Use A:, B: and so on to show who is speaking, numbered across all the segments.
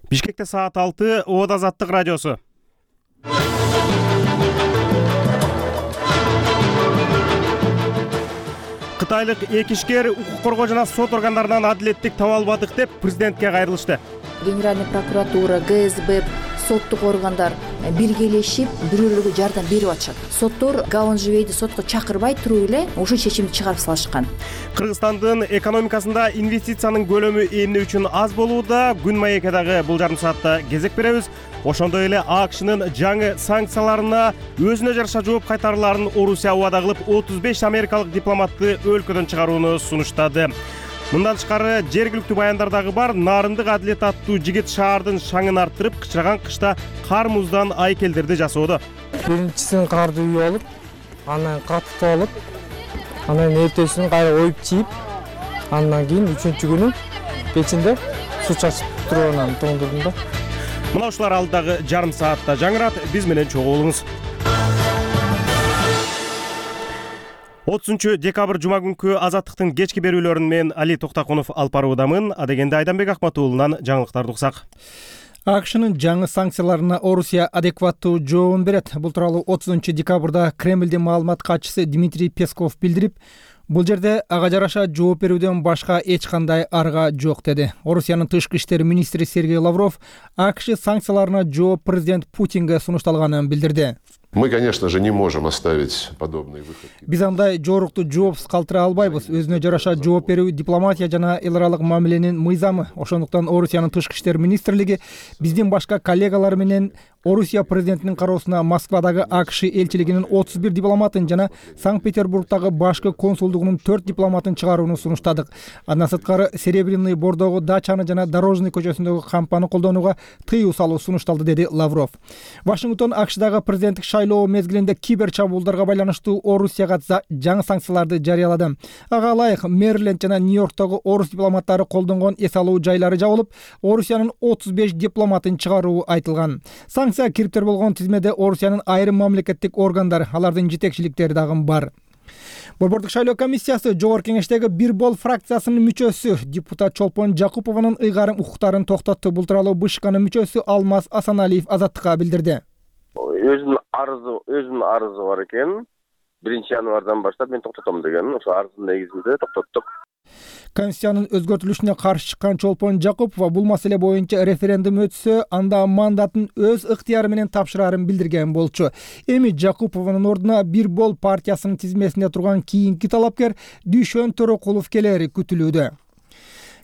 A: Бишкекте саат 6, Оод Азаттык радиосу. Кытайлык эки ишкер укук коргоо жана сот органдарынан адилеттик таба албадык деп президентке кайрылышты.
B: Генеральный прокуратура, ГСБ, соттук органдар биргелешип бирөөлөргө жардам берип атышат. Соттор Гаонжибейди сотко чакырбай туруп эле ушул чечимди чыгарып салышкан.
A: Кыргызстандын экономикасында инвестициянын көлөмү эмне үчүн аз болууда? Күн маекке дагы бул жарым саатта кезек беребиз. Ошондой эле АКШнын жаңы санкцияларына өзүнө жараша жооп кайтарууларын Орусия убада кылып 35 америкалык дипломатты өлкөдөн чыгарууну сунуштады. Мындан тышкары жергиликтүү баяндар дагы бар. Нарындык адилет аттуу жигит шаардын шаңын арттырып, кычыраган кышта кар муздан айкелдерди жасоодо.
C: Биринчисин карды үйүп алып, анан катып алып, анан эртесин кайра оюп чийип, андан кийин 3-күнү печинде суу чачып туруп анан тоңдурдум да.
A: Мына ушулар алдыдагы жарым саатта жаңырат. Биз менен чогуу болуңуз. 30 декабрь жума күнкү Азаттыктын кечки берүүлөрүн мен Али Токтакунов алып баруудамын. Адегенде Айданбек Акматуулунан жаңылыктарды уксак.
D: АКШнын жаңы санкцияларына Орусия адекваттуу жообун берет. Бул тууралуу 30 декабрда Кремлдин маалымат катчысы Дмитрий Песков билдирип, бул жерде ага жараша жооп берүүдөн башка эч кандай арга жок деди. Орусиянын тышкы иштер министри Сергей Лавров АКШ санкцияларына жооп президент Путинге сунушталганын билдирди.
E: Мы, конечно же, не можем оставить подобные выходки.
D: Биз андай жорукту жоопсуз калтыра албайбыз. Өзүнө жараша жооп берүү дипломатия жана эл аралык мамиленин мыйзамы. Ошондуктан Орусиянын тышкы иштер министрлиги биздин башка коллегалар менен Орусия президентинин кароосуна Москвадагы АКШ элчилигинин 31 дипломатын жана Санкт-Петербургдагы башкы консулдугунун 4 дипломатын чыгарууну сунуштадык. Андан сырткары Серебряный Бордогу дачаны жана Дорожный көчөсүндөгү кампаны колдонууга тыюу салуу сунушталды, деди Лавров. Вашингтон АКШдагы президенттик шайлоо мезгилинде кибер чабуулдарга байланыштуу Орусияга жаңы санкцияларды жарыялады. Ага ылайык Мэриленд жана Нью-Йорктогу орус дипломаттары колдонгон эс алуу жайлары жабылып, Орусиянын 35 дипломатын чыгаруу айтылган. Санкция кириптер болгон тизмеде Орусиянын айрым мамлекеттик органдар, алардын жетекчиликтери дагы бар. Борбордук шайлоо комиссиясы жогорку кеңештеги Бир бол фракциясынын мүчөсү депутат Чолпон Жакупованын ыйгарым укуктарын токтотту. Бул тууралуу БШКнын мүчөсү Алмаз Асаналиев Азаттыкка билдирди.
F: Өзүнүн арызы бар экен. 1-январдан баштап мен токтотом деген. Ошо арыздын негизинде токтоттук.
D: Конституциянын өзгөртүлүшүнө каршы чыккан Чолпон Жакупова бул маселе боюнча референдум өтсө, анда мандатын өз ыктыяры менен тапшырарын билдирген болчу. Эми Жакупованын ордуна Бир бол партиясынын тизмесинде турган кийинки талапкер Дүйшөн Төрөкулов келери күтүлүүдө.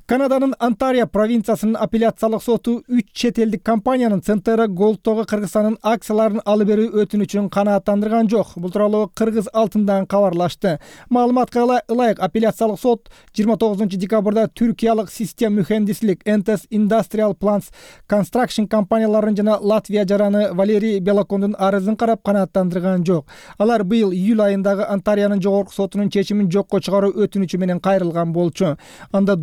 D: Канаданын Онтарио провинциясынын апелляциялык соту 3 чет элдик компаниянын Центера Голдтогу Кыргызстандын акцияларын алып берүү өтүнүчүн канааттандырган жок. Бул тууралуу Кыргыз алтындан кабарлашты. Маалыматка ылайык апелляциялык сот 29 декабрда Түркиялык Систем Mühendislik Entes Industrial Plants Construction компанияларын жана Латвия жараны Валерий Белокондун арызын карап канааттандырган жок. Алар быйыл июль айындагы Онтарионун жогорку сотунун чечимин жокко чыгаруу өтүнүчү менен кайрылган болчу. Анда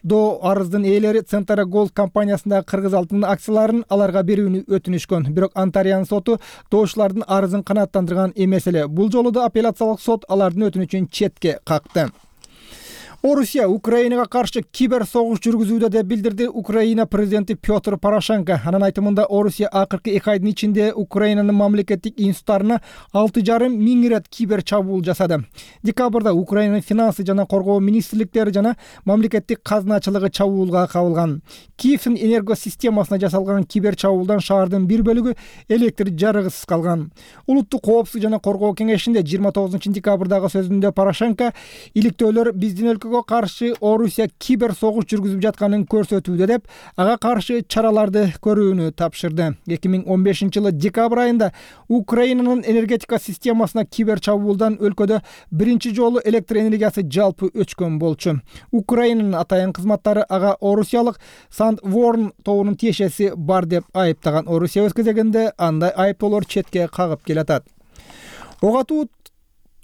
D: до арыздын ээлери Центера Голд компаниясындагы Кыргыз алтынын акцияларын аларга берүүнү өтүнүшкөн. Бирок Онтарионун соту доочулардын арызын канааттандырган эмес эле. Бул жолу да апелляциялык сот алардын өтүнүчүн четке какты. Орусия Украинага каршы кибер согуш жүргүзүүдө деп билдирди Украина президенти Петр Порошенко. Анын айтымында Орусия акыркы 2 айдын ичинде Украинанын мамлекеттик институттарына 6,5 миң ирет кибер чабуул жасады. Декабрда Украинанын финансы жана коргоо министрликтери жана мамлекеттик казначылыгы чабуулга кабылган. Киевдин энергосистемасына жасалган кибер чабуулдан шаардын бир бөлүгү электр жарыгысыз калган. Улуттук коопсуздук жана коргоо кеңешинде 29 декабрдагы сөзүндө Порошенко иликтөөлөр биздин каршы Орусия кибер согуш жүргүзүп жатканын көрсөтүүдө деп, ага каршы чараларды көрүүнү тапшырды. 2015-жылы декабрь айында Украинанын энергетика системасына кибер чабуулдан өлкөдө биринчи жолу электр энергиясы жалпы өчкөн болчу. Украинанын атайын кызматтары ага орусиялык Сандворн тобунун тиешеси бар деп айыптаган. Орусия өз кезегинде андай айыптоолор четке кагып келатат.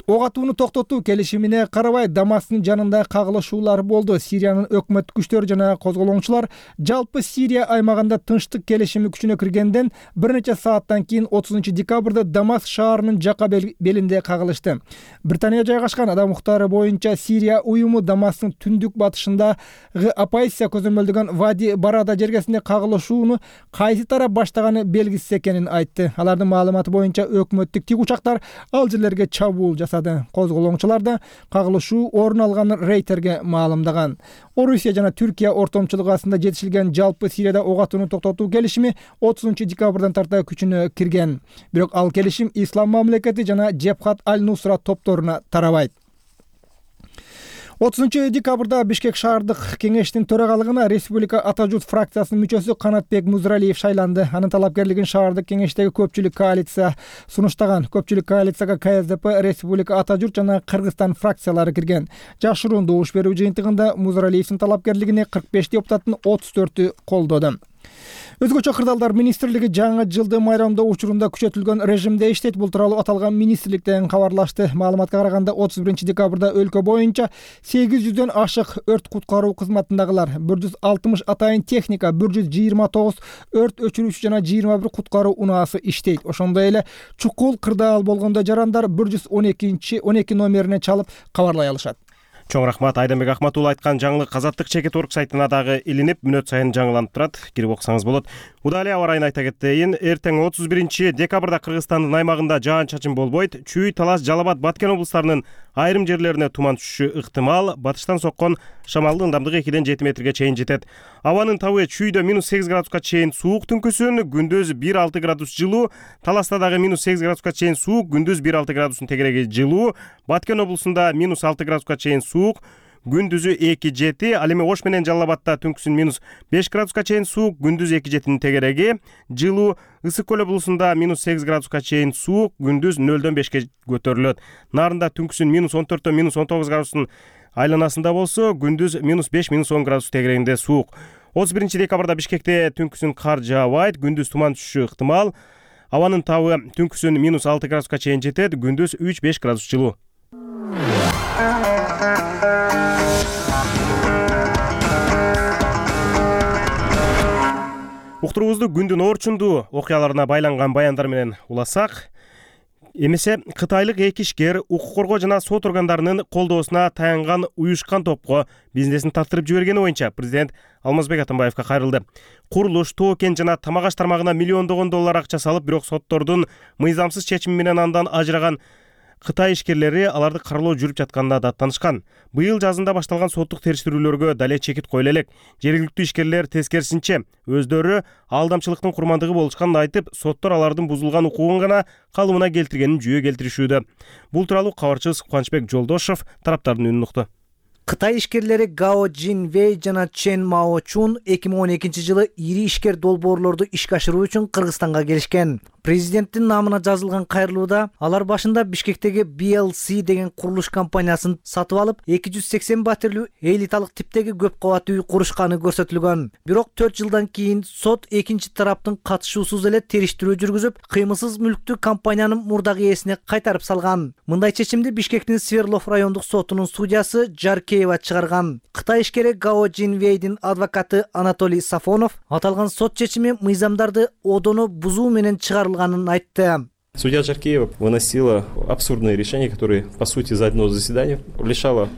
D: Ок атууну токтотуу келишимине карабай Дамасктын жанында кагылышуулар болду. Сириянын өкмөттүк күчтөрү жана козголоңчулар жалпы Сирия аймагында тынчтык келишими күчүнө киргенден бир нече сааттан кийин 30 декабрда Дамаск шаарынын жака белинде кагылышты. Британия жайгашкан Адам укуктары боюнча Сирия уюму Дамасктын түндүк батышындагы оппозиция көзөмөлдөгөн Вади Барада жергесинде кагылышууну кайсы тарап баштаганы белгисиз экенин айтты. Алардын маалыматы боюнча өкмөттүк тик учактар ал жерлерге чабуул жасады. Козголоңчулар да кагылышуу орун алганын Рейтерге маалымдаган. Орусия жана Түркия ортомчулугу астында жетишилген жалпы Сирияда ок атууну токтотуу келишими 30 декабрдан тарта күчүнө кирген. Бирок ал келишим Ислам мамлекети жана Джебхат аль-Нусра топторуна тарабайт. 30 декабрда Бишкек шаардык кеңештин төрагалыгына Республика Ата журт фракциясынын мүчөсү Канатбек Музралиев шайланды. Анын талапкерлигин шаардык кеңештеги көпчүлүк коалиция сунуштаган. Көпчүлүк коалицияга КСДП, Республика Ата журт жана Кыргызстан фракциялары кирген. Жашыруун добуш берүү жыйынтыгында Музралиевдин талапкерлигине 45 депутаттын 34-ü колдоду. Өзгөчө кырдаалдар министрлиги жаңы жылды майрамдоо учурунда күчөтүлгөн режимде иштейт. Бул тууралуу аталган министрликтен кабарлашты. Маалыматка караганда 31 декабрда өлкө боюнча 800дөн ашык өрт куткаруу кызматындагылар, 160 атайын техника, 129 өрт өчүрүүчү жана 21 куткаруу унаасы иштейт. Ошондой эле чукул кырдаал болгондо жарандар 112 номерине чалып кабарлай алышат.
A: Чоң рахмат. Айданбек Ахматулла айткан жаңылык Азаттык чекит орг сайтына дагы илинип, мүнөт сайын жаңыланып турат. Кирип окусаңыз болот. Удалый аба ырайын айта кетейин. Эртең 31 декабрда Кыргызстандын аймагында жаан-чачын болбойт. Чүй, Талас, Жалал Абад, Баткен облустарынын айрым жерлерине туман түшүшү ыктымал. Батыштан соккон шамалдын ылдамдыгы 2-7 метрге чейин жетет. Абанын табы чүйдө -8 градуска чейин суук түнкүсүн, күндүз 1-6 градус жылуу. Таласта дагы -8 градуска чейин суук, күндүз 1-6 градустун тегереги жылуу. Баткен облусунда -6 градуска чейин суук, күндүзү 2-7. Ал эми Ош менен Жалал Абадта түнкүсүн -5 градуска чейин суук, күндүз 2-7-нин тегереги жылуу. Ысык көл облусунда -8 градуска чейин суук, күндүз 0-дөн 5ке көтөрүлөт. Нарында түнкүсүн -14-дөн -19 градустун айланасында болсо, күндүз -5-10 градус тегерегинде суук. 31 декабрда Бишкекте түнкүсүн кар жаабайт, күндүз туман түшүшү ыктымал. Абанын табы түнкүсүн -6 градуска чейин жетет, күндүз 3-5 градус жылуу. Уктуруубузду күндүн орчундуу окуяларына байланган баяндар менен уласак, эмесе кытайлык эки ишкер укук коргоо жана сот органдарынын колдоосуна таянган уюшкан топко бизнесин тартырып жибергени боюнча президент Алмазбек Атамбаевка кайрылды. Курулуш, тоо кен жана тамак аш тармагына миллиондогон доллар акча салып, бирок соттордун мыйзамсыз чечими менен андан ажыраган Кытай ишкерлери аларды каралоо жүрүп жатканына даттанышкан. Быйыл жазында башталган соттук териштирүүлөргө дале чекит коюла элек. Жергиликтүү ишкерлер тескерисинче өздөрү алдамчылыктын курмандыгы болушканын айтып, соттор алардын бузулган укугун гана калыбына келтиргенин жүйө келтиришүүдө. Бул тууралуу кабарчыбыз Кубанычбек Жолдошов тараптардын үнүн укту.
G: Кытай ишкерлери Гао Жин Вэй жана Чен Мао Чун 2012 жылы ири ишкер долбоорлорду ишке ашыруу үчүн Кыргызстанга келишкен. Президенттин намына жазылган кайрылууда алар башында Бишкектеги BLC деген курулуш компаниясын сатып алып, 280 батирлүү элиталык типтеги көп кабаттуу үй курушканы көрсөтүлгөн. Бирок 4 жылдан кийин сот экинчи тараптын катышуусуз эле териштирүү жүргүзүп, кыймылсыз мүлктү компаниянын мурдагы ээсине кайтарып салган. Мындай чечимди Бишкектин Сверлов райондук сотунун судьясы Жаркеева чыгарган. Кытай ишкери Гао Жин Вэйдин адвокаты Анатолий Сафонов аталган сот чечими мыйзамдарды одоно бузуу менен чыгарылганын айтты.
H: Судья Жаркеева выносила абсурдные решения, которые, по сути, за одно заседание лишала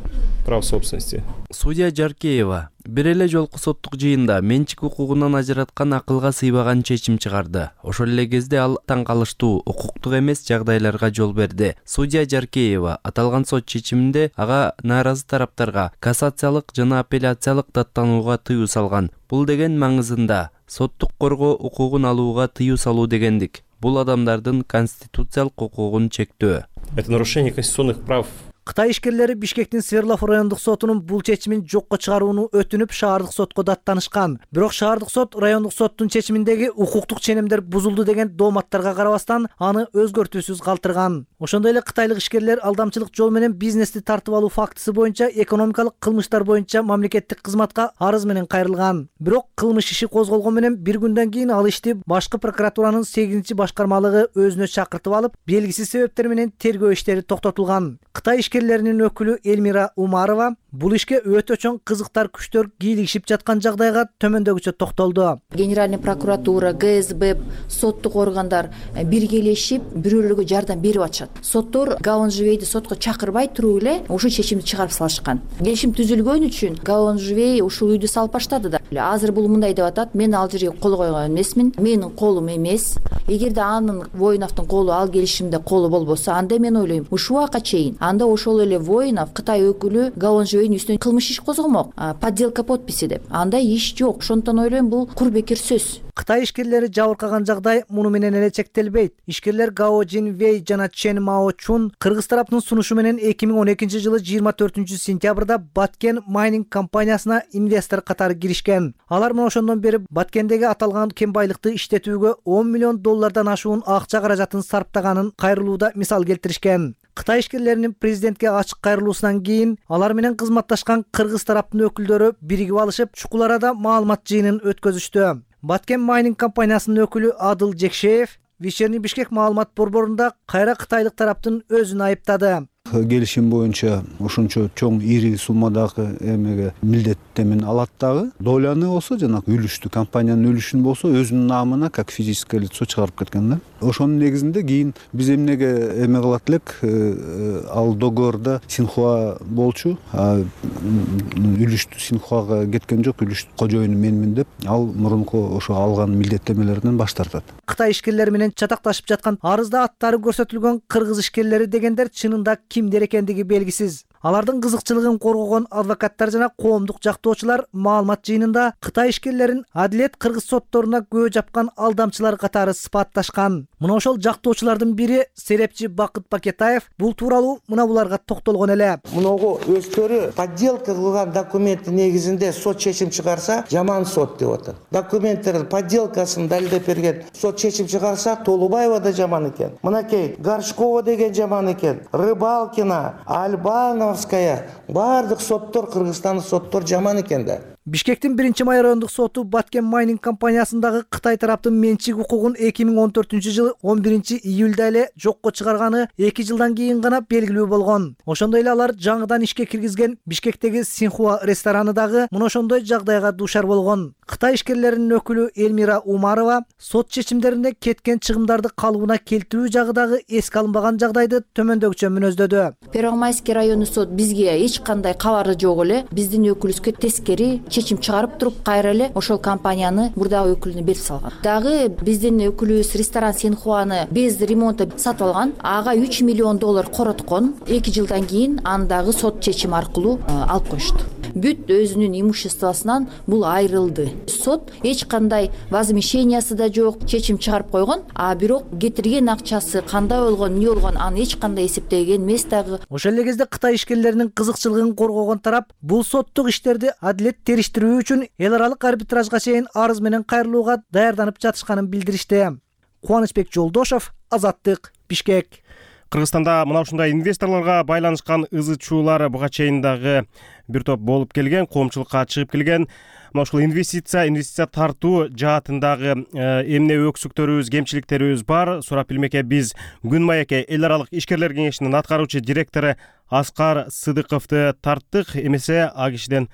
H: прав собственности.
I: Судья Жаркеева бир эле жолку соттук жыйында менчик укугунан ажыраткан акылга сыйбаган чечим чыгарды. Ошол эле кезде ал таң калыштуу, укуктук эмес жагдайларга жол берди. Судья Жаркеева аталган сот чечиминде ага нааразы тараптарга кассациялык жана апелляциялык даттанууга тыюу салган. Бул деген маңызында соттук коргоо укугун алууга тыюу салуу дегендик. Бул адамдардын конституциялык укугун чектөө.
H: Это нарушение конституционных прав.
G: Кытай ишкерлери Бишкектин Свердлов райондук сотунун бул чечимин жокко чыгарууну өтүнүп шаардык сотко даттанышкан. Бирок шаардык сот райондук соттун чечиминдеги укуктук ченемдер бузулду деген дооматтарга карабастан аны өзгөртүүсүз калтырган. Ошондой эле кытайлык ишкерлер алдамчылык жол менен бизнести тартып алуу фактысы боюнча экономикалык кылмыштар боюнча мамлекеттик кызматка арыз менен кайрылган. Бирок кылмыш иши козголгон менен бир күндөн кийин ал ишти башкы прокуратуранын 8-башкармалыгы өзүнө чакыртып алып, белгисиз себептер менен тергөө иштери токтотулган. Кытай ишкерлеринин өкүлү Эльмира Умарова бул ишке өтө чоң кызыктар күчтөр кийлигишип жаткан жагдайга төмөндөгүчө токтолду.
B: Генеральный прокуратура, ГСБ, соттук органдар биргелешип бирөөлөргө жардам берип атышат. Соттор Гаонжвейди сотко чакырбай туруп эле ушул чечимди чыгарып салышкан. Келишим түзүлгөн үчүн Гаонжвей ушул үйдү салып баштады да. Азыр бул мындай деп атат: мен ал жерге кол койгон эмесмин, менин колум эмес. Эгерде анын Воиновдун колу ал келишимде колу болбосо, анда мен ойлойм, ушул убакка чейин анда ошол эле Воинов Кытай өкүлү Гаонжвейдин үстүнөн кылмыш иш козгомок, подделка подписи деп. Андай иш жок. Ошондон ойлойм, бул кур бекер сөз.
G: Кытай ишкерлери жабыркаган жагдай муну менен эле чектелбейт. Ишкерлер Гао Жинвей жана Чен Маочун кыргыз тараптын сунушу менен 2012-жылы 24-сентябрда Баткен майнинг компаниясына инвестор катары киришкен. Алар мына ошондон бери Баткендеги аталган кен байлыкты иштетүүгө $10 миллион ашуун акча каражатын сарптаганын кайрылууда мисал келтиришкен. Кытай ишкерлеринин президентке ачык кайрылуусунан кийин алар менен кызматташкан кыргыз тараптын өкүлдөрү биригип алышып, чукул арада маалымат жыйынын өткөзүштү. Баткен майнинг компаниясынын өкүлү Адыл Жекшеев Вечерний Бишкек маалымат борборунда кайра кытайлык тараптын өзүн айыптады.
J: Келишим боюнча ушунчо чоң ири суммадагы эмеге милдеттемин алат дагы. Доляны болсо жанагы үлүштү, компаниянын үлүшүн болсо өзүнүн наамына как физическое лицо чыгарып кеткен да. Ошонун негизинде кийин биз эмнеге эме кылат элек, ал договордо Синхуа болчу, үлүштү Синхуага кеткен жок, үлүштүн кожоюну менмин деп, ал мурунку ошо алган милдеттемелеринен баш тартат.
G: Кытай ишкерлери менен чатакташып жаткан арызда аттары көрсөтүлгөн кыргыз ишкерлери дегендер чынында кимдер экендиги белгисиз. Алардын кызыкчылыгын коргогон адвокаттар жана коомдук жактоочулар маалымат жыйынында Кытай ишкерлерин адилет кыргыз сотторуна көө жапкан алдамчылар катары сыпатташкан. Мына ошол жактоочулардын бири серепчи Бакыт Бакетаев бул тууралуу мына буларга токтолгон эле.
K: Муногу өздөрү подделка кылган документтин негизинде сот чечим чыгарса, жаман сот деп атат. Документтердин подделкасын далилдеп берген сот чечим чыгарса, Толубаева да жаман экен. Мынакей Горшкова деген жаман экен. Рыбалкина, Альбановская, бардык соттор, Кыргызстандын соттор жаман экен да.
G: Бишкектин 1-май райондук соту Баткен майнинг компаниясындагы Кытай тараптын менчик укугун 2014-жылы 11-июлда эле жокко чыгарганы 2 жылдан кийин гана белгилүү болгон. Ошондой эле алар жаңыдан ишке киргизген Бишкектеги Синхуа рестораны дагы мына ошондой жагдайга дуушар болгон. Кытай ишкерлеринин өкүлү Эльмира Умарова сот чечимдеринде кеткен чыгымдарды калыбына келтирүү жагы дагы эске алынбаган жагдайды төмөндөгүчө мүнөздөдү.
B: Первомайский району сот бизге эч кандай кабары жок эле, биздин өкүлүбүзгө тескери чечим чыгарып туруп, кайра эле ошол компанияны мурдагы өкүлүнө берип салган. Дагы биздин өкүлүбүз ресторан Синхуаны без ремонта сатып алган, ага $3 миллион короткон. 2 жылдан кийин андагы сот чечими аркылуу алып коюшту. Бүт өзүнүн имуществосунан бул айрылды. Сот эч кандай возмещениясы да жок, чечим чыгарып койгон, а бирок кетирген акчасы кандай болгон, эмне болгон, аны эч кандай эсептеген эмес дагы.
G: Ошол эле кезде Кытай ишкерлеринин кызыкчылыгын коргогон тарап бул соттук иштерди адилет териштирүү үчүн эл аралык арбитражга чейин арыз менен кайрылууга даярданып жатышканын билдиришти. Кубанычбек Жолдошов, Азаттык, Бишкек.
A: Кыргызстанда мына ушундай инвесторлорго байланышкан ызы чуулар буга чейин дагы бир топ болуп келген, коомчулукка чыгып келген. Мына ушул инвестиция тартуу жаатындагы эмне өксүктөрүбүз, кемчиликтерибиз бар. Сурап билмекке биз Күн маекке эл аралык ишкерлер кеңешинин аткаруучу директору Аскар Сыдыковду тарттык. Эмесе а кишиден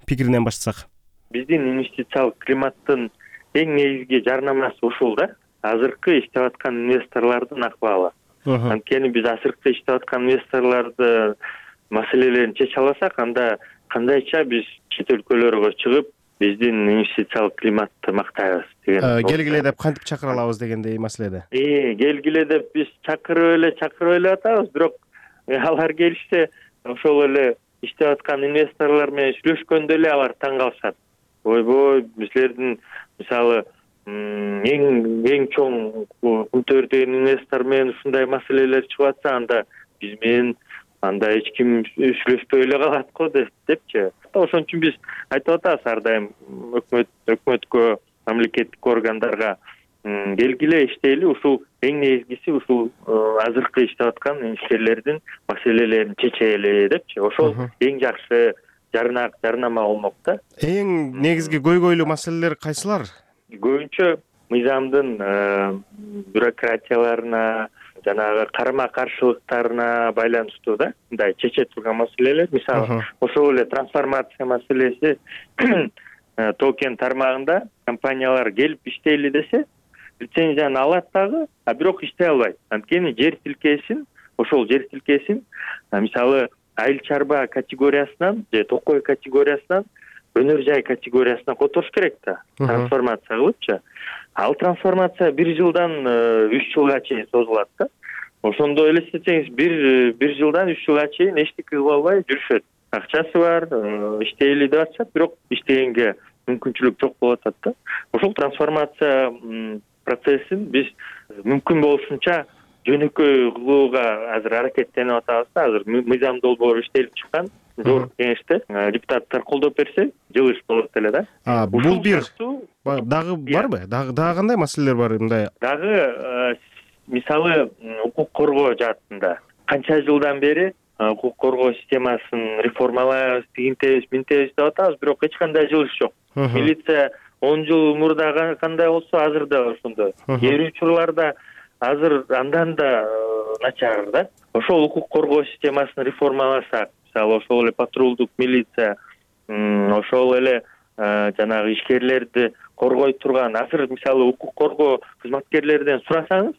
A: пикиринен баштасак.
L: Биздин инвестициялык климаттын эң негизги жарнамасы ушул да. Азыркы иштеп аткан инвесторлордун акыбалы. Анткени биз азыркы иштеп аткан инвесторлорду маселелерин чече алсак, анда кандайча биз чет өлкөлөргө чыгып, биздин инвестициялык климатты мактайбыз деген.
A: Келгиле деп кантип чакыра алабыз дегендей маселеде.
L: Келгиле деп биз чакырып эле атабыз, бирок алар келишсе, ошол эле иштеп аткан инвесторлор менен сүйлөшкөндө эле алар таң калышат. Ойбой, bizlerden misалы эң чоң күн төрдөгөн инвестор менен ушундай маселелер чыгып атса, анда биз менен анда эч ким сүйлөшпөй эле калат го депчи. Ошон үчүн биз айтып атабыз ар дайым өкмөткө, мамлекеттик органдарга келгиле иштейли, ушул эң негизгиси ушул азыркы иштеп аткан ишкерлердин маселелерин чечели депчи. Ошол эң жакшы жарнама болмок да.
A: Эң негизги көйгөйлүү маселелер кайсылар?
L: Көбүнчө мыйзамдын бюрократияларына, жанагы карама каршылыктарына байланыштуу да, мындай чече турган маселелер. Мисалы, ошол эле трансформация маселеси токен тармагында компаниялар келип иштейли десе, лицензияны алат дагы, а бирок иштей албайт. Анткени жер тилкесин, мисалы, айыл чарба категориясынан же токой категориясынан өнөр жай категориясына которуш керек да, трансформация кылыпчы. Ал трансформация 1 жылдан 3 жылга чейин созулат да. Ошондо элестетсеңиз, 1 жылдан 3 жылга чейин эчтеке кыла албай жүрүшөт. Акчасы бар, иштейли деп атышат, бирок иштегенге мүмкүнчүлүк жок болуп атат да. Ошол трансформация процессин биз мүмкүн болушунча жөнөкөй кылууга азыр аракеттенип атабыз да. Азыр мыйзам долбоору иштелип чыккан. Жогорку кеңеште депутаттар колдоп берсе, жылыш болот эле да.
A: Бул бир дагы барбы? Дагы кандай маселелер бар мындай?
L: Дагы мисалы укук коргоо жаатында канча жылдан бери укук коргоо системасын реформалайбыз, тигинтебиз, минтебиз деп атабыз, бирок эч кандай жылыш жок. Милиция 10 жыл мурда кандай болсо, азыр да ошондой. Кээ учурларда азыр андан да начар да. Ошол укук коргоо системасын реформаласак, мисалы ошол эле патрулдук милиция, ошол эле жанагы ишкерлерди коргой турган, азыр мисалы укук коргоо кызматкерлерден сурасаңыз,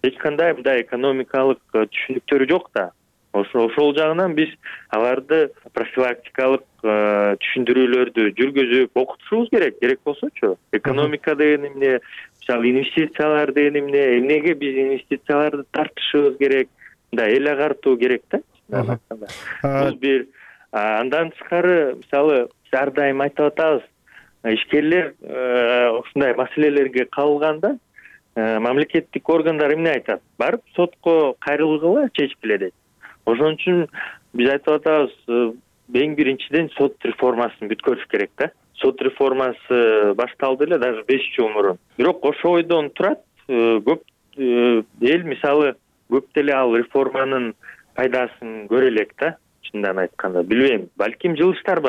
L: эч кандай мындай экономикалык түшүнүктөрү жок да. Ошол жагынан биз аларды профилактикалык түшүндүрүүлөрдү жүргүзүп окутушубуз керек. Керек болсочу, экономика деген эмне, мисалы инвестициялар деген эмне, эмнеге биз инвестицияларды тартышыбыз керек, мындай эл агартуу керек да. Бул бир. Андан тышкары, мисалы, ар дайым айтып атабыз, ишкерлер ушундай маселелерге кабылганда мамлекеттик органдар эмне айтат? Барып сотко кайрылгыла, чечкиле дейт. Ошон үчүн биз айтып атабыз, эң биринчиден сот реформасын бүткөрүш керек да. Сот реформасы башталды эле даже 5 жыл мурун. Бирок ошо ойдон турат, көп эл мисалы көп деле ал реформанын пайдасын көрө элек да. Чындан айтканда, билбейм, балким жылыштар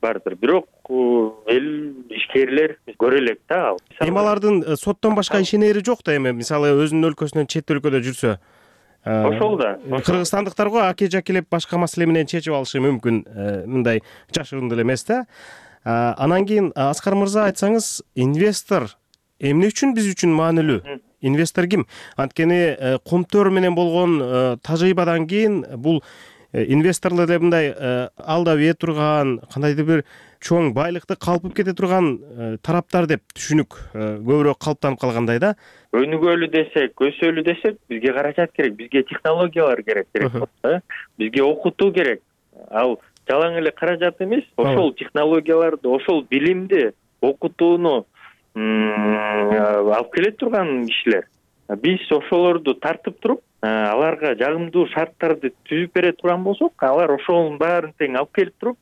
L: бардыр, бирок эл ишкерлер көрө элек да ал.
A: Эми алардын соттон башка ишенери жок да, эми мисалы өзүнүн өлкөсүнөн чет өлкөдө жүрсө.
L: Ошол да.
A: Кыргызстандыктарго аке-жакелеп башка маселе менен чечип алышы мүмкүн, мындай жашыруун деле эмес да. Анан кийин Аскар мырза, айтсаңыз, инвестор эмне үчүн биз үчүн маанилүү? Инвестор ким? Анткени кумтөр менен болгон тажрыйбадан кийин бул инвесторлор деп мындай алда бие турган, кандайдыр бир чоң байлыкты калпып кете турган тараптар деп түшүнүк көбүрөөк калыптанып калгандай да.
L: Өнүгөлү десек, өсөлү десек, бизге каражат керек, бизге технологиялар керек болот да. Бизге окутуу керек. Ал жалаң эле каражат эмес, ошол технологияларды, ошол билимди, окутууну алып келе турган кишилер. Биз ошолорду тартып туруп, аларга жагымдуу шарттарды түзүп бере турган болсок, алар ошонун баарын тең алып келип туруп,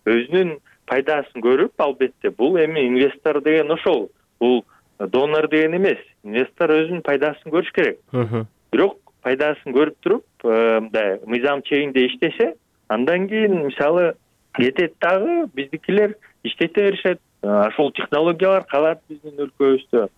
L: өзүнүн пайдасын көрүп, албетте, бул эми инвестор деген ошол, бул донор деген эмес. Инвестор өзүнүн пайдасын көрүш керек. Бирок пайдасын көрүп туруп, мындай мыйзам чегинде иштесе, андан кийин мисалы кетет дагы биздикилер иштете беришет. Ошол технологиялар калат биздин өлкөбүздө.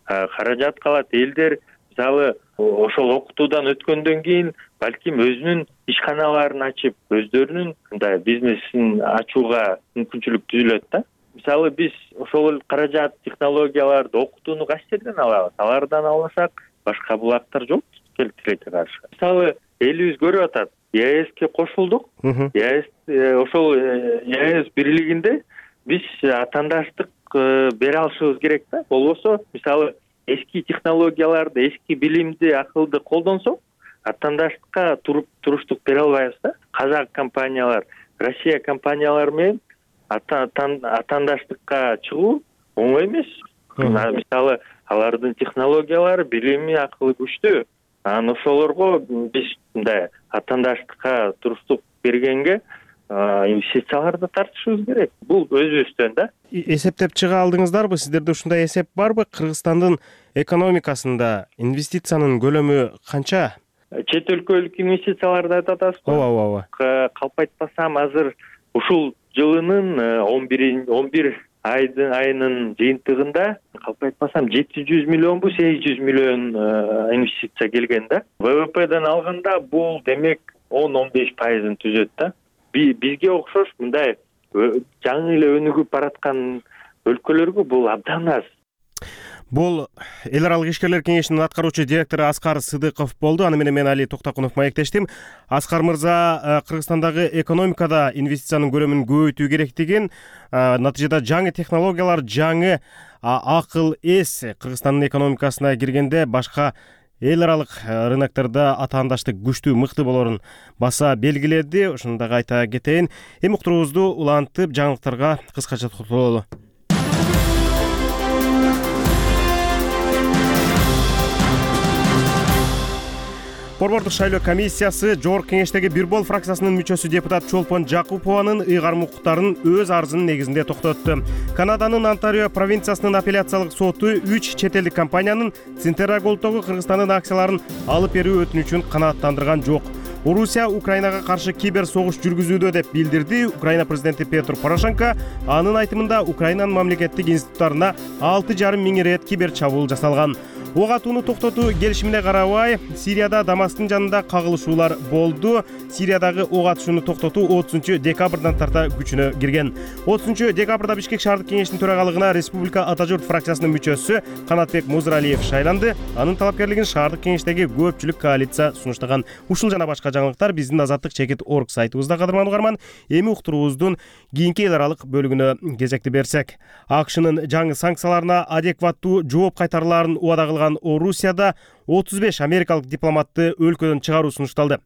L: Каражат калат, элдер мисалы ошол окутуудан өткөндөн кийин балким өзүнүн ишканаларын ачып, өздөрүнүн мындай бизнесин ачууга мүмкүнчүлүк түзүлөт да. Мисалы биз ошол каражат, технологияларды, окутууну кайсы жерден алабыз? Алардан албасак, башка булактар жок тилекке каршы. Мисалы элибиз көрүп атат, ЕАЭСке кошулдук. Ошол ЕАЭС бирлигинде биз атаандаштык бере алышыбыз керек да. Болбосо, мисалы эски технологияларды, эски билимди, акылды колдонсок, атаандаштыкка туруштук бере албайбыз да. Казак компаниялар, Россия компаниялары менен атаандаштыкка чыгуу оңой эмес. Мисалы алардын технологиялары, билими, акылы күчтүү. Анан ошолорго биз мындай атаандаштыкка туруктук бергенге инвестицияларды тартышыбыз керек. Бул өзүбүздөн да.
A: Эсептеп чыга алдыңыздарбы? Сиздерде ушундай эсеп барбы? Кыргызстандын экономикасында инвестициянын көлөмү канча?
L: Чет өлкөлүк инвестицияларды айтып атасызбы?
A: Ооба.
L: Калп айтпасам азыр ушул жылынын 11 айынын жыйынтыгында калп айтпасам 700 миллионбу 800 миллион инвестиция келген да. ВВПден алганда бул демек 10-15% түзөт да. Бизге окшош мындай жаңы эле өнүгүп бараткан өлкөлөргө бул абдан аз.
A: Бул эл аралык ишкерлер кеңешинин аткаруучу директору Аскар Сыдыков болду. Аны менен мен Али Токтокунов маектештим. Аскар мырза, Кыргызстандагы экономикада инвестициянын көлөмүн көбөйтүү керектигин, натыйжада жаңы технологиялар, жаңы акыл эс Кыргызстандын экономикасына киргенде башка эл аралык рыноктордо атаандаштык күчтүү, мыкты болорун баса белгиледи. Ошону дагы айта кетейин. Эми уктуруубузду улантып жаңылыктарга кыскача токтололу. Борбордук шайлоо комиссиясы Жогорку кеңештеги Бир Бол фракциясынын мүчөсү депутат Чолпон Жакупованын ыйгарым укуктарын өз арызынын негизинде токтотту. Канаданын Онтарио провинциясынын апелляциялык соту 3 чет элдик компаниянын Центерра Голдтогу Кыргызстандын акцияларын алып берүү өтүнүчүн канааттандырган жок. Орусия Украинага каршы кибер согуш жүргүзүүдө деп билдирди. Украина президенти Петр Порошенко анын айтымында Украинанын мамлекеттик институттарына 6,5 миң рет кибер чабуул жасалган. Ок атууну токтотуу келишимине карабай, Сирияда Дамасктын жанында кагылышуулар болду. Сириядагы ок атышууну токтотуу 30 декабрдан тарта күчүнө кирген. 30 декабрда Бишкек шаардык кеңештин төрагалыгына Республика Ата журт фракциясынын мүчөсү Канатбек Музралиев шайланды. Анын талапкерлигин шаардык кеңештеги көпчүлүк коалиция сунуштаган. Ушул жана башка жаңылыктар биздин Азаттык.org сайтыбызда кадырман угарман. Эми уктуруубуздун кийинки эл аралык бөлүгүнө кезекти берсек. АКШнын жаңы санкцияларына адекваттуу жооп кайтарылаарын убада кылган Орусияда 35 америкалык дипломатты өлкөдөн чыгаруу сунушталды.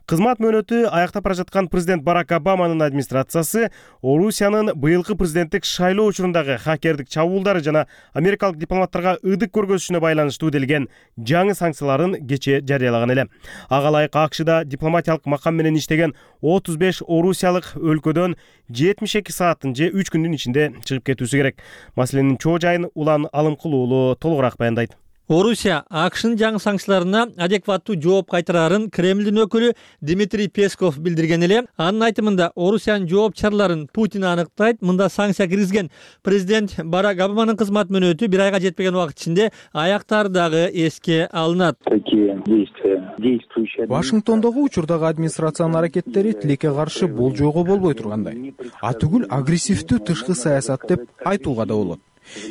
A: Кызмат мөөнөтү аяктап бара жаткан президент Барак Обаманын администрациясы Орусиянын быйылкы президенттик шайлоо учурундагы хакердик чабуулдары жана америкалык дипломаттарга ыдык көргөзүшүнө байланыштуу делген жаңы санкцияларын кечээ жарыялаган эле. Ага ылайык АКШда дипломатиялык макам менен иштеген 35 орусиялык өлкөдөн 72 сааттын же 3 күндүн ичинде чыгып кетүүсү керек. Маселенин чоо жайын Улан Алымкулуулу толугураак баяндайт.
M: Орусия АКШнын жаңы санкцияларына адекваттуу жооп кайтараарын Кремлдин өкүлү Дмитрий Песков билдирген эле. Анын айтымында Орусиянын жооп чараларын Путин аныктайт. Мында санкция киргизген президент Барак Обаманын кызмат мөөнөтү 1 айга жетпеген убакыт ичинде аяктары дагы эске алынат.
N: Вашингтондогу учурдагы администрациянын аракеттери тилекке каршы болжоого болбой тургандай. Атүгүл агрессивдүү тышкы саясат деп айтууга да болот.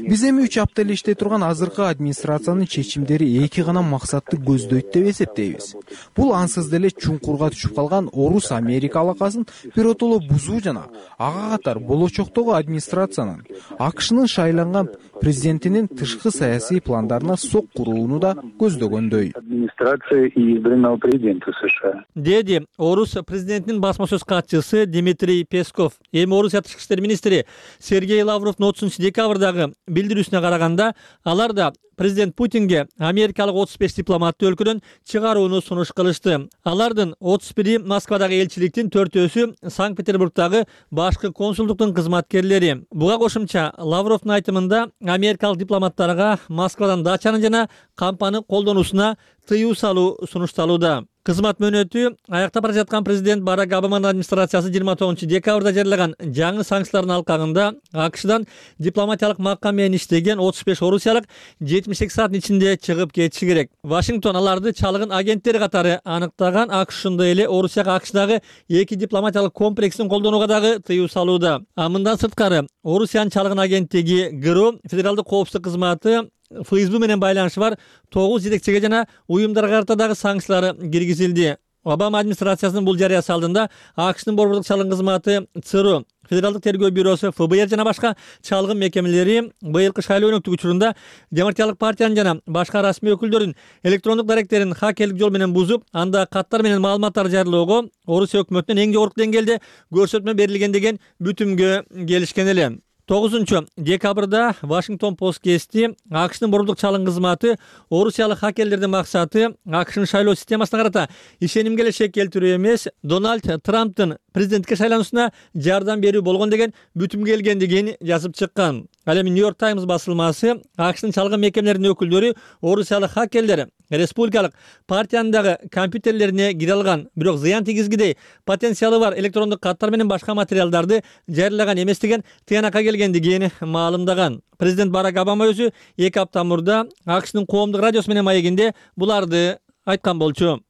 N: Биз эми 3 апта эле иштей турган азыркы администрациянын чечимдери эки гана максатты көздөйт деп эсептейбиз. Бул ансыз деле чуңкурга түшүп калган Орус-Америка алакасын биротоло бузуу жана ага катар болочоктогу администрациянын АКШнын шайланган президентинин тышкы саясий пландарына сок курууну да көздөгөндөй.
O: Администрация избранного президента США.
M: Деди Орус президентинин басма сөз катчысы Дмитрий Песков. Эми Орусия тышкы иштер министри Сергей Лавровдун 30 декабрдагы билдирүүсүнө караганда, алар да президент Путинге америкалык 35 дипломатты өлкөдөн чыгарууну сунуш кылышты. Алардын 31-и Москвадагы элчиликтин, 4-өсү Санкт-Петербургдагы башкы консулдуктун кызматкерлери. Буга кошумча Лавровдун айтымында америкалык дипломаттарга Москвадан дачаны жана кампаны колдонуусуна тыюу салуу сунушталууда. Кызмат мөөнөтү аяктап бара жаткан президент Барак Обаманын администрациясы 29 декабрда жарыялаган жаңы санкциялардын алкагында АКШдан дипломатиялык макам менен иштеген 35 орусиялык 72 сааттын ичинде чыгып кетиши керек. Вашингтон аларды чалгын агенттери катары аныктаган. АКШ ошондой эле Орусияга АКШдагы 2 дипломатиялык комплексин колдонууга дагы тыюу салууда. Мындан сырткары Орусиянын чалгын агенттиги ГРУ, Федералдык коопсуздук кызматы ФСБ менен байланышы бар 9 жетекчиге жана уюмдарга карата дагы санкциялар киргизилди. Обама администрациясынын бул жарыясы алдында АКШнын борбордук чалгын кызматы ЦРУ, Федералдык тергөө бюросу ФБР жана башка чалгын мекемелери быйылкы шайлоо өнөктүк учурунда Демократиялык партиянын жана башка расмий өкүлдөрүнүн электрондук даректерин хакерлик жол менен бузуп, анда каттар менен маалыматтар жарыялоого Орусия өкмөтүнөн эң жогорку деңгээлде көрсөтмө берилген деген бүтүмгө келишкен эле. 9-декабрда Washington Post кести АКШнын борбордук чалгын кызматы орусиялык хакерлердин максаты АКШнын шайлоо системасына карата ишенимге эле шек келтирүү эмес, Дональд Трамптын президенттикке шайлануусуна жардам берүү болгон деген бүтүмгө келгендигин жазып чыккан. Ал эми New York Times басылмасы АКШнын чалгын мекемелеринин өкүлдөрү орусиялык хакерлер республикалык партиянын дагы компьютерлерине кире алган, бирок зыян тийгизгидей потенциалы бар электрондук каттар менен башка материалдарды жарыялаган эмес деген тыянакка келгендигин маалымдаган. Президент Барак Обама өзү 2 апта мурда АКШнын коомдук радиосу менен маегинде буларды айткан болчу.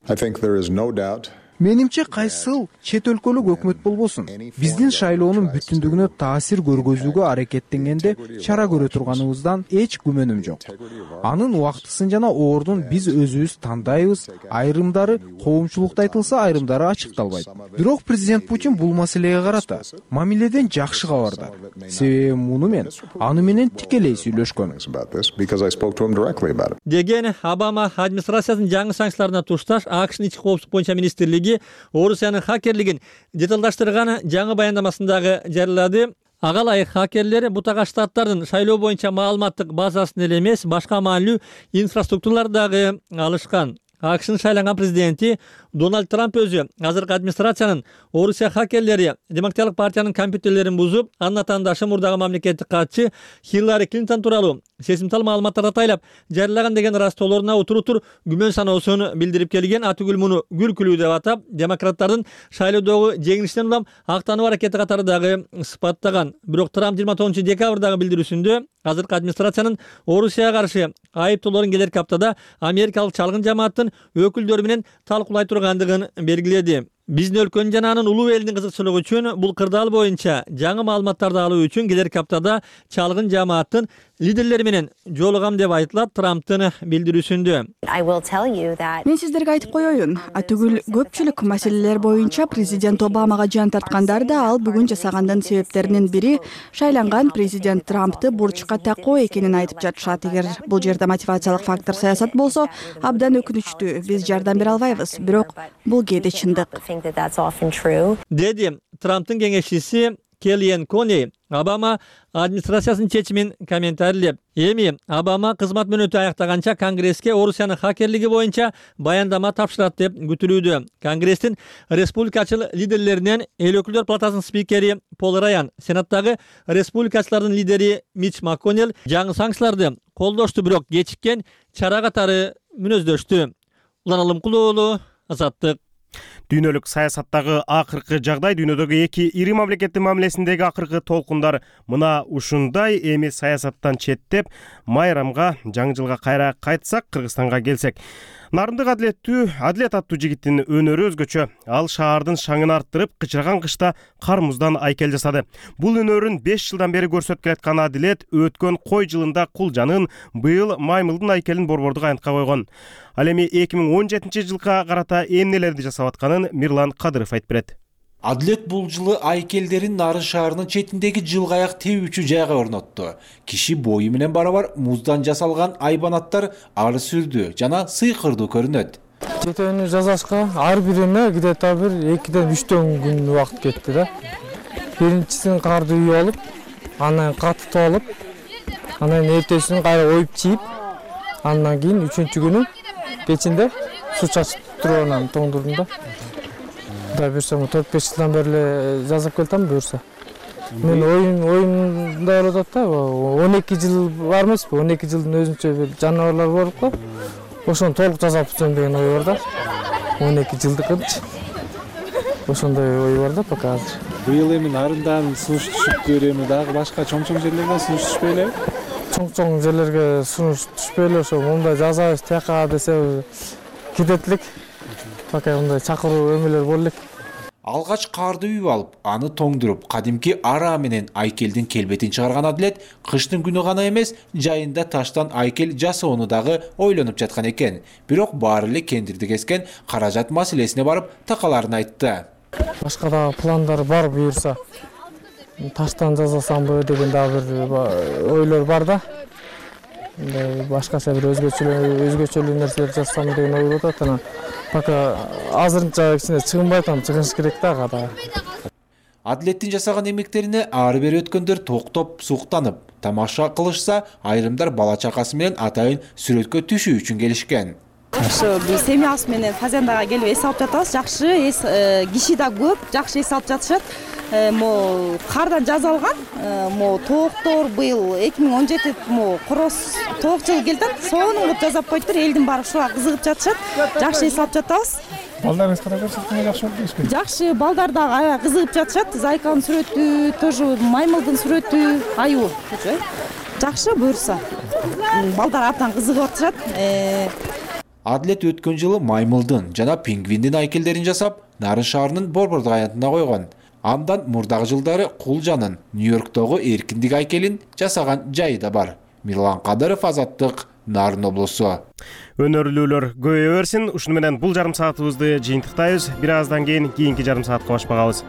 N: Менимче кайсыл чет өлкөлүк өкмөт болбосун, биздин шайлоонун бүтүндүгүнө таасир көргөзүүгө аракеттенгенде чара көрө турганыбыздан эч күмөнүм жок. Анын убактысын жана оордун биз өзүбүз тандайбыз, айрымдары коомчулукта айтылса, айрымдары ачыкталбайт. Бирок президент Путин бул маселеге карата мамиледен жакшы кабардар. Себеби муну мен аны менен тикелей сүйлөшкөн.
M: Деген Обама администрациясынын жаңы санкцияларына тушташ АКШнын ички коопсуздук боюнча министрлиги Орусиянын хакерлигин деталдаштырган жаңы баяндамасындагы жарыялады. Ага ылайык хакерлер бутага штаттардын шайлоо боюнча маалыматтык базасын эле эмес, башка маанилүү инфраструктураларды дагы алышкан. АКШнын шайланган президенти Дональд Трамп өзү азыркы администрациянын Орусия хакерлери Демократиялык партиянын компьютерлерин бузуп, анын атаандашы мурдагы мамлекеттик катчы Хиллари Клинтон тууралуу сезимтал маалыматтарды атайлап жарыялаган деген ыраазтоолоруна утур күмөн саноосун билдирип келген. Атүгүл муну күлкүлүү деп атап, демократтардын шайлоодогу жеңилишинен улам актануу аракети катары дагы сыпаттаган. Бирок Трамп 29-декабрдагы билдирүүсүндө азыркы администрациянын Орусияга каршы айыптоолорун келерки аптада америкалык чалгын жамааттын өкүлдөрү менен талкуулай тургандыгын белгиледи. Биздин өлкөнүн жана анын улуу элдин кызыкчылыгы үчүн бул кырдаал боюнча жаңы маалыматтарды алуу үчүн келерки аптада чалгын жамааттын лидерлери менен жолугам деп айтылат Трамптын билдирүүсүндө.
P: Мен сиздерге айтып коеюн, атүгүл көпчүлүк маселелер боюнча президент Обамага жан тарткандар да ал бүгүн жасагандын себептеринин бири шайланган президент Трампты бурчка такоо экенин айтып жатышат. Эгер бул жерде мотивациялык фактор саясат болсо, абдан өкүнүчтүү. Биз жардам бере албайбыз, бирок бул кээде чындык.
M: Деди Трамптын кеңешчиси Келлиен Кони Обама администрациясынын чечимин комментарийлеп. Эми Обама кызмат мөөнөтү аяктаганча Конгресске Орусиянын хакерлиги боюнча баяндама тапшырат деп күтүлүүдө. Конгресстин республикачыл лидерлеринен эл өкүлдөр палатасынын спикери Пол Раян, Сенаттагы республикачылардын лидери Мич МакКоннелл жаңы санкцияларды колдошту, бирок кечиккен чара катары мүнөздөштү. Улан Алымкулуу уулу, Азаттык.
A: Дүйнөлүк саясаттагы акыркы жагдай, дүйнөдөгү эки ири мамлекеттин мамилесиндеги акыркы толкундар мына ушундай. Эми саясаттан четтеп, майрамга, жаңы жылга кайра кайтсак, Кыргызстанга келсек. Нарындык Адилет аттуу жигиттин өнөрү өзгөчө. Ал шаардын шаңын арттырып, кычыраган кышта кар муздан айкел жасады. Бул өнөрүн 5 жылдан бери көрсөтүп келаткан Адилет өткөн кой жылында кулжанын, быйыл маймылдын айкелин борбордук аянтка койгон. Ал эми 2017-жылга карата эмнелерди жасап атканын Мирлан Кадыров айтып берет.
Q: Адилет бул жылы айкелдерин Нарын шаарынын четиндеги жылгаяк тебүүчү жайга орнотту. Киши бою менен барабар муздан жасалган айбанаттар ары сүрдүү жана сыйкырдуу көрүнөт.
C: Жетени жасашка ар бирине где-то бир 2-3 күн убакыт кетти да. Биринчисин карды үйүп алып, анан катып алып, анан эртесин кайра оюп чийип, андан кийин 3-күнү кечинде суу чачып турганан тоңдурдум да. Да берсем 4-5 жылдан бери жазып келтем буюрса. Мен оюнда болуп атат да, 12 жыл бар эмеспи? 12 жылдын өзүнчө бир жаныбарлар болуп го. Ошону толук жасап бүтсөм деген ой бар да. 12 жылдыкынчы. Ошондой ой бар да пока азыр.
R: Быйыл эми Нарындан сунуш түшүптүр, эми дагы башка чоң-чоң жерлерден сунуш түшпөй элеби?
C: Чоң-чоң жерлерге сунуш түшпөй эле, ошо мындай жазабыз тияка десе кетет элек. Пока мындай чакыруу эмелер боло элек.
Q: Алгач карды үйүп алып, аны тоңдуруп, кадимки ара менен айкелдин келбетин чыгарган Адилет кыштын күнү гана эмес, жайында таштан айкел жасоону дагы ойлонуп жаткан экен. Бирок баары эле кендирди кескен каражат маселесине барып такаларын айтты.
C: Башка да пландар бар буюрса. Таштан жасасамбы деген дагы бир ойлор бар да. Башкача бир өзгөчөлүү нерселер жасасам деген ой болуп атат. Пока азырынча кичине чыгынбай атам, чыгыш керек да када.
Q: Адилеттин жасаган эмектерине ары бери өткөндөр токтоп суктанып тамаша кылышса, айрымдар бала чакасы менен атайын сүрөткө түшүү үчүн келишкен.
S: Ошо биз семьябыз менен фазендага келип эс алып жатабыз. Жакшы киши да көп, жакшы эс алып жатышат. Могу кардан жасалган, могу тооктор быйыл 2017 могу короз тоок жылы келди. Сонун кылып жасап коюптур. Элдин баары ушуга кызыгып жатышат. Жакшы эс алып жатабыз.
D: Балдарыңыз кандай көрсөткөнгө жакшы болуп келишпи?
S: Жакшы, балдар дагы аябай кызыгып жатышат. Зайканын сүрөтү, тоже маймылдын сүрөтү, аюу. Жакшы буюрса. Балдар абдан кызыгып атышат.
Q: Адилет өткөн жылы маймылдын жана пингвиндин айкелдерин жасап, Нарын шаарынын борбордук аянтына койгон. Андан мурдагы жылдары Кулжанын Нью-Йорктогу эркиндик айкелин жасаган жайы да бар. Мирлан Кадыров, Азаттык, Нарын облусу.
A: Өнөрлүүлөр көбөйө берсин. Ушуну менен бул жарым саатыбызды жыйынтыктайбыз. Бир аздан кийин кийинки жарым саатка баш багабыз.